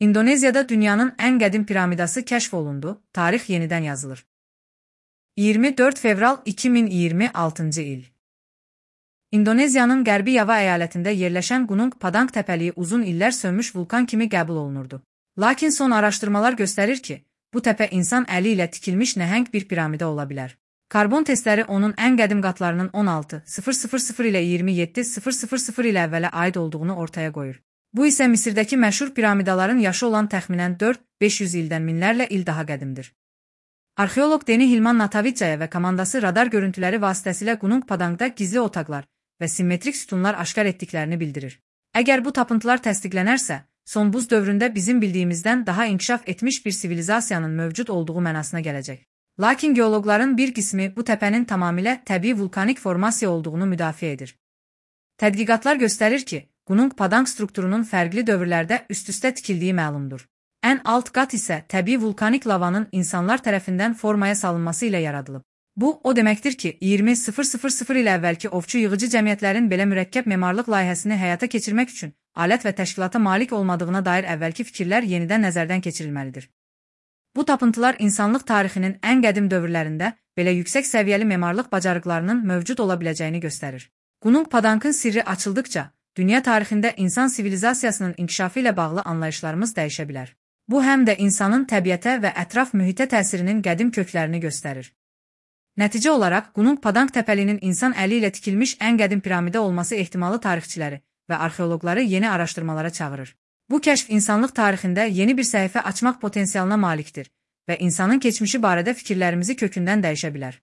İndoneziyada dünyanın en qədim piramidası kəşf olundu, tarix yenidən yazılır. 24 fevral 2026 il. İndoneziyanın Qərbi Yava əyalətində yerləşən Gunung Padang təpəliyi uzun illər sönmüş vulkan kimi qəbul olunurdu. Lakin son araşdırmalar göstərir ki, bu təpə insan əli ilə tikilmiş nəhəng bir piramida ola bilər. Karbon testləri onun ən qədim qatlarının 16.000 ilə 27.000 ilə əvvələ aid olduğunu ortaya qoyur. Bu isə Misirdəki məşhur piramidaların yaşı olan təxminən 4-500 ildən minlərlə il daha qədimdir. Arxeoloq Deni Hilman Natavicaya və komandası radar görüntüləri vasitəsilə Gunung Padangda gizli otaqlar və simmetrik sütunlar aşkar etdiklərini bildirir. Əgər bu tapıntılar təsdiqlənərsə, son buz dövründə bizim bildiyimizdən daha inkişaf etmiş bir sivilizasiyanın mövcud olduğu mənasına gələcək. Lakin geoloqların bir qismi bu təpənin tamamilə təbii vulkanik formasiya olduğunu müdafiə edir. Tədqiqatlar göstərir ki, Gunung Padang strukturunun fərqli dövrlərdə üst-üstə tikildiyi məlumdur. Ən alt qat isə təbii vulkanik lavanın insanlar tərəfindən formaya salınması ilə yaradılıb. Bu, o deməkdir ki, 20.000 ilə əvvəlki ovçu yığıcı cəmiyyətlərin belə mürəkkəb memarlıq layihəsini həyata keçirmək üçün alət və təşkilata malik olmadığına dair əvvəlki fikirlər yenidən nəzərdən keçirilməlidir. Bu tapıntılar insanlıq tarixinin ən qədim dövrlərində belə yüksək səviyyəli memarlıq bacarıqlarının mövcud ola biləcəyini göstərir. Gunung Padangın sirri açıldıqca, dünya tarixində insan sivilizasiyasının inkişafı ilə bağlı anlayışlarımız dəyişə bilər. Bu həm də insanın təbiətə və ətraf mühitə təsirinin qədim köklərini göstərir. Nəticə olaraq, Gunung Padang təpəliyinin insan əli ilə tikilmiş ən qədim piramida olması ehtimalı tarixçiləri və arxeoloqları yeni araşdırmalara çağırır. Bu kəşf insanlıq tarixində yeni bir səhifə açmaq potensialına malikdir və insanın keçmişi barədə fikirlərimizi kökündən dəyişə bilər.